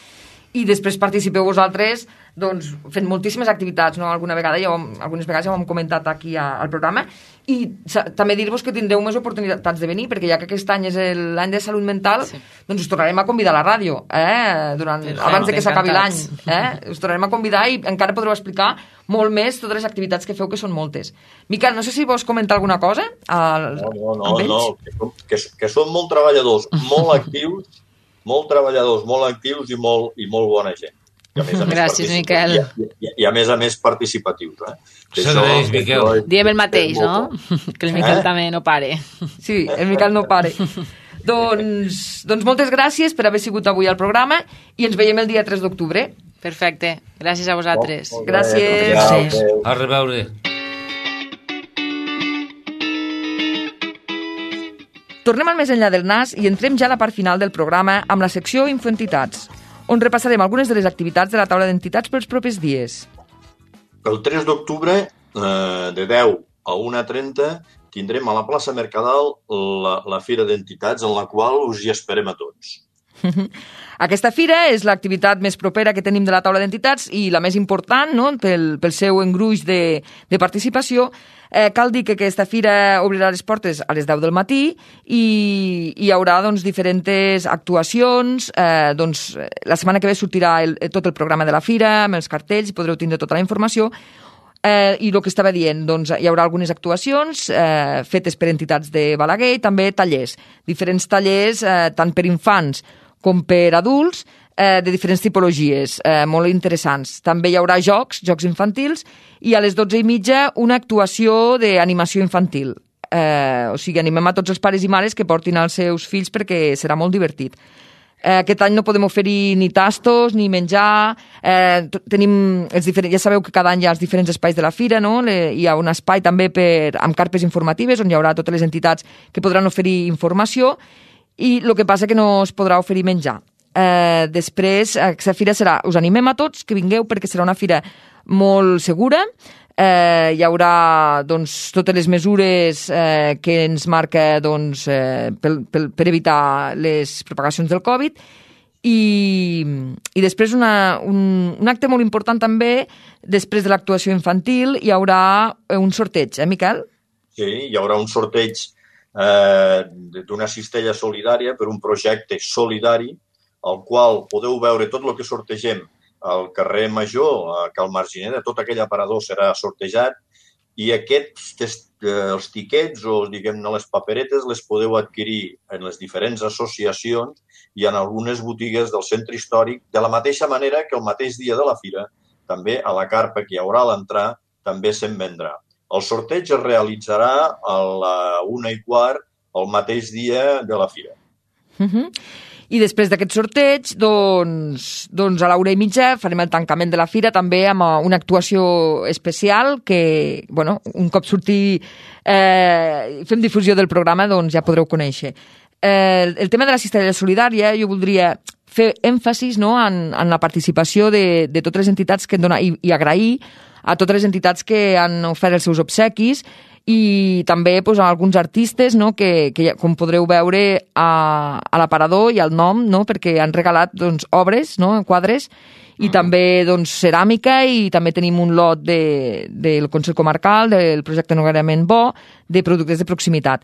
i després participeu vosaltres doncs, fent moltíssimes activitats, no? Algunes vegades ja ho hem comentat aquí al programa, i també dir-vos que tindreu més oportunitats de venir, perquè ja que aquest any és l'any de salut mental, doncs us tornarem a convidar a la ràdio, abans de que s'acabi l'any. Us tornarem a convidar i encara podreu explicar molt més totes les activitats que feu, que són moltes. Miquel, no sé si vols comentar alguna cosa? No, que són molt treballadors, molt actius, molt treballadors, molt actius i molt bona gent. Gràcies, Miquel. I a més participatius. Serveis, Miquel. Diem el mateix, no? Que el Miquel també no pare. Sí, el Miquel no pare. Doncs moltes gràcies per haver sigut avui al programa i ens veiem el dia 3 d'octubre. Perfecte. Gràcies a vosaltres. Gràcies. A reveure. Tornem al més enllà del nas i entrem ja a la part final del programa amb la secció Infoentitats, on repassarem algunes de les activitats de la taula d'entitats pels propers dies. El 3 d'octubre, de 10 a 1:30, tindrem a la plaça Mercadal la Fira d'Entitats, en la qual us hi esperem a tots. Aquesta fira és l'activitat més propera que tenim de la taula d'entitats i la més important, no?, pel seu engruix de participació. Cal dir que aquesta fira obrirà les portes a les 10 del matí i hi haurà diferents actuacions. La setmana que ve sortirà tot el programa de la fira amb els cartells i podreu tindre tota la informació. I el que estava dient, hi haurà algunes actuacions fetes per entitats de Balaguer i també tallers, diferents tallers tant per infants com per adults, de diferents tipologies, molt interessants. També hi haurà jocs infantils, i a les 12:30 una actuació d'animació infantil. O sigui, animem a tots els pares i mares que portin els seus fills perquè serà molt divertit. Aquest any no podem oferir ni tastos ni menjar. Tenim ja sabeu que cada any hi ha els diferents espais de la fira, no? Hi ha un espai també amb carpes informatives on hi haurà totes les entitats que podran oferir informació, i el que passa que no es podrà oferir menjar. Després, aquesta fira us animem a tots que vingueu perquè serà una fira molt segura. Hi haurà totes les mesures que ens marca per evitar les propagacions del Covid, i després un acte molt important també, després de l'actuació infantil hi haurà un sorteig, Miquel? Sí, hi haurà un sorteig d'una cistella solidària per un projecte solidari al qual podeu veure tot el que sortegem al carrer Major, a Cal Margineda. Tot aquell aparador serà sortejat i els tiquets o, diguem-ne, les paperetes les podeu adquirir en les diferents associacions i en algunes botigues del centre històric, de la mateixa manera que el mateix dia de la fira, també a la carpa que hi haurà a l'entrar, també se'n vendrà. El sorteig es realitzarà a la 1:15 el mateix dia de la fira. I després d'aquest sorteig, a la 1:30 farem el tancament de la fira també amb una actuació especial que, un cop fem difusió del programa, ja podreu conèixer. El tema de la cistella solidària, jo voldria fer èmfasis en la participació de totes les entitats que han donat, i agrair a totes les entitats que han ofert els seus obsequis, i també a alguns artistes que com podreu veure a l'aparador i al nom, perquè han regalat obres, quadres, i també ceràmica, i també tenim un lot del Consell Comarcal, del projecte Noguerament Bo, de productes de proximitat.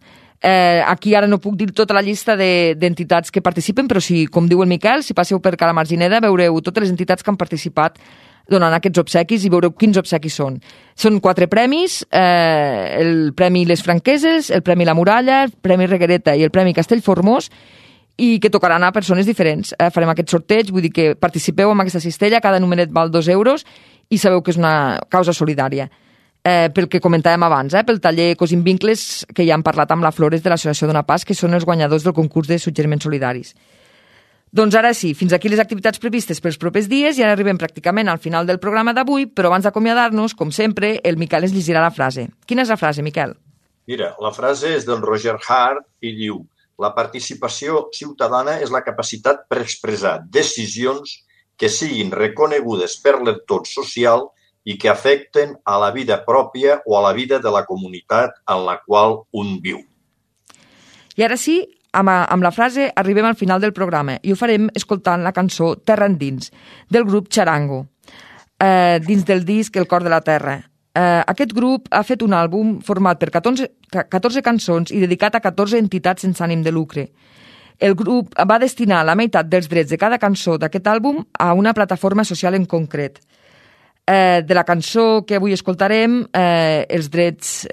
Aquí ara no puc dir tota la llista d'entitats que participen, però si, com diu el Miquel, si passeu per Cala Margineda veureu totes les entitats que han participat donant aquests obsequis i veureu quins obsequis són. Són 4 premis, el Premi Les Franqueses, el Premi La Muralla, el Premi Reguereta i el Premi Castellformós, i que tocaran a persones diferents. Farem aquest sorteig, vull dir que participeu en aquesta cistella, cada numeret val 2 euros i sabeu que és una causa solidària. Pel que comentàvem abans, pel taller Cosint Vincles, que ja hem parlat amb la Flores de l'Associació Dona Pas, que són els guanyadors del concurs de suggeriments solidaris. Doncs ara sí, fins aquí les activitats previstes pels propers dies, i ara arribem pràcticament al final del programa d'avui, però abans d'acomiadar-nos, com sempre, el Miquel ens llegirà la frase. Quina és la frase, Miquel? Mira, la frase és del Roger Hart i diu: la participació ciutadana és la capacitat per expressar decisions que siguin reconegudes per l'entorn social i que afecten a la vida pròpia o a la vida de la comunitat en la qual un viu. I ara sí, amb la frase arribem al final del programa i ho farem escoltant la cançó Terra Endins, del grup Charango, dins del disc El cor de la terra. Aquest grup ha fet un àlbum format per 14 cançons i dedicat a 14 entitats sense ànim de lucre. El grup va destinar la meitat dels drets de cada cançó d'aquest àlbum a una plataforma social en concret. De la cançó que avui escoltarem, els drets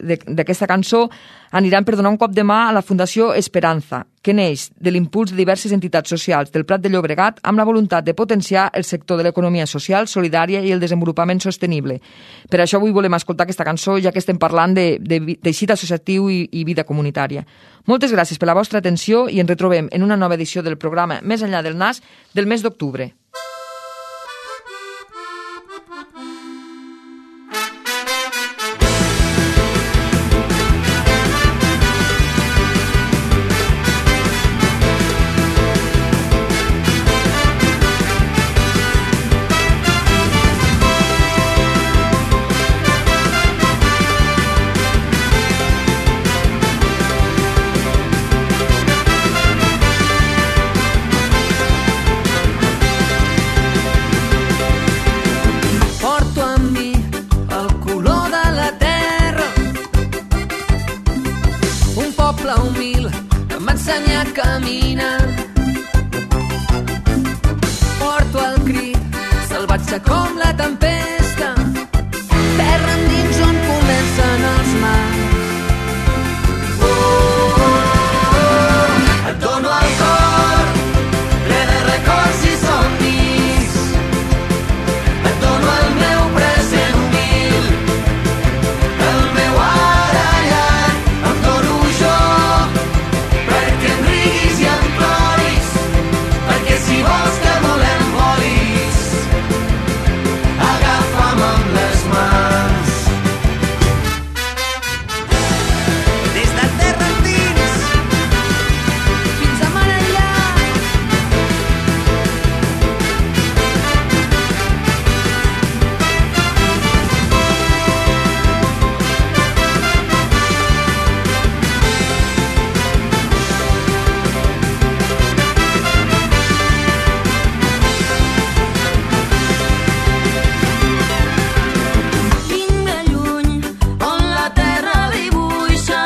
d'aquesta cançó aniran per donar un cop de mà a la Fundació Esperanza, que neix de l'impuls de diverses entitats socials del Prat de Llobregat amb la voluntat de potenciar el sector de l'economia social, solidària i el desenvolupament sostenible. Per això avui volem escoltar aquesta cançó, ja que estem parlant de teixit associatiu i vida comunitària. Moltes gràcies per la vostra atenció i ens retrobem en una nova edició del programa Més enllà del nas del mes d'octubre. poble humil em va ensenyar a caminar. Porto el crit, salvatge com la tempesta, terra endins on comencen els mars. Et dono el cor, ple de records i somnis. Et dono el meu present humil, el meu ara llarg. Em dono jo, perquè em riguis i em ploris, perquè si vols que volem volis, agafa'm amb les mans. Des de terra endins fins a mar enllà. Vinc de lluny, on la terra dibuixa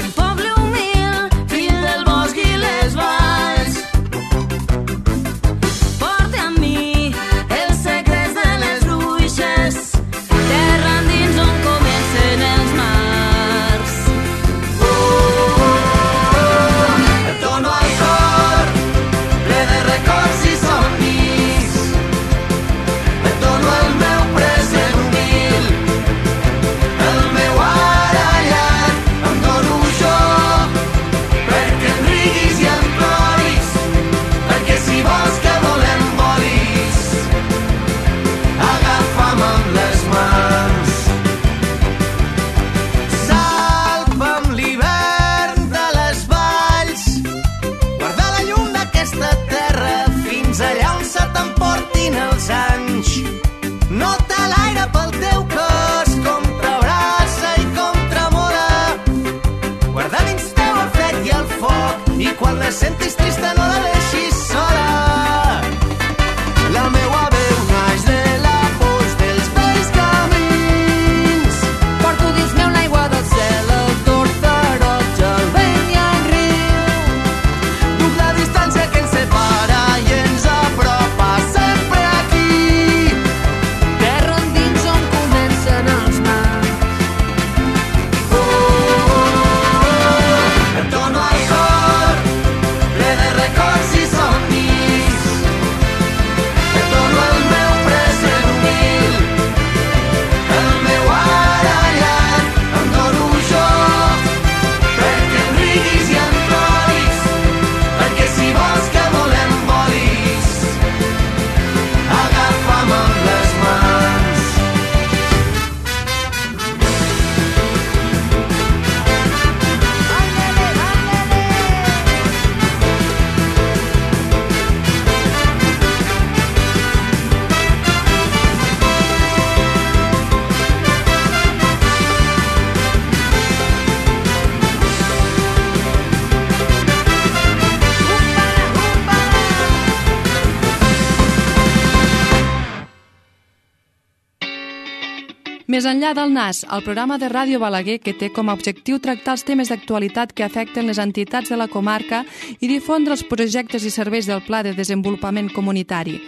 un poble humil, fill del bosc i les valls. Porta amb mi els secrets de les bruixes, terra endins on comencen els mars. Et dono el cor, ple de records i somnis. Et dono el meu present humil, el meu ara llarg. Em dono jo, perquè em riguis i em ploris, perquè si vols que volem volis, agafa'm amb les mans. Salva'm l'hivern de les valls, guarda la llum d'aquesta terra fins allà on se t'emportin els anys. Nota l'aire pel teu cos, com t'abraça i com tremola. Guarda dins teu el fred i el foc, i quan la sentis trista no la deixis sola. La meua veu naix de la pols dels vells camins. Porto dins meu l'aigua del cel, el tord taroja, el vent i el riu. Duc la distància que ens separa i ens apropa sempre aquí. Terra endins on comencen els mars. Et dono el cor, ple de records i somnis. Et dono el meu present humil, el meu ara llarg. Em dono jo, perquè em riguis i em ploris, perquè si vols que volem volis, agafa'm amb les mans. Més enllà del NAS, el programa de Ràdio Balaguer que té com a objectiu tractar els temes d'actualitat que afecten les entitats de la comarca i difondre els projectes i serveis del Pla de Desenvolupament Comunitari.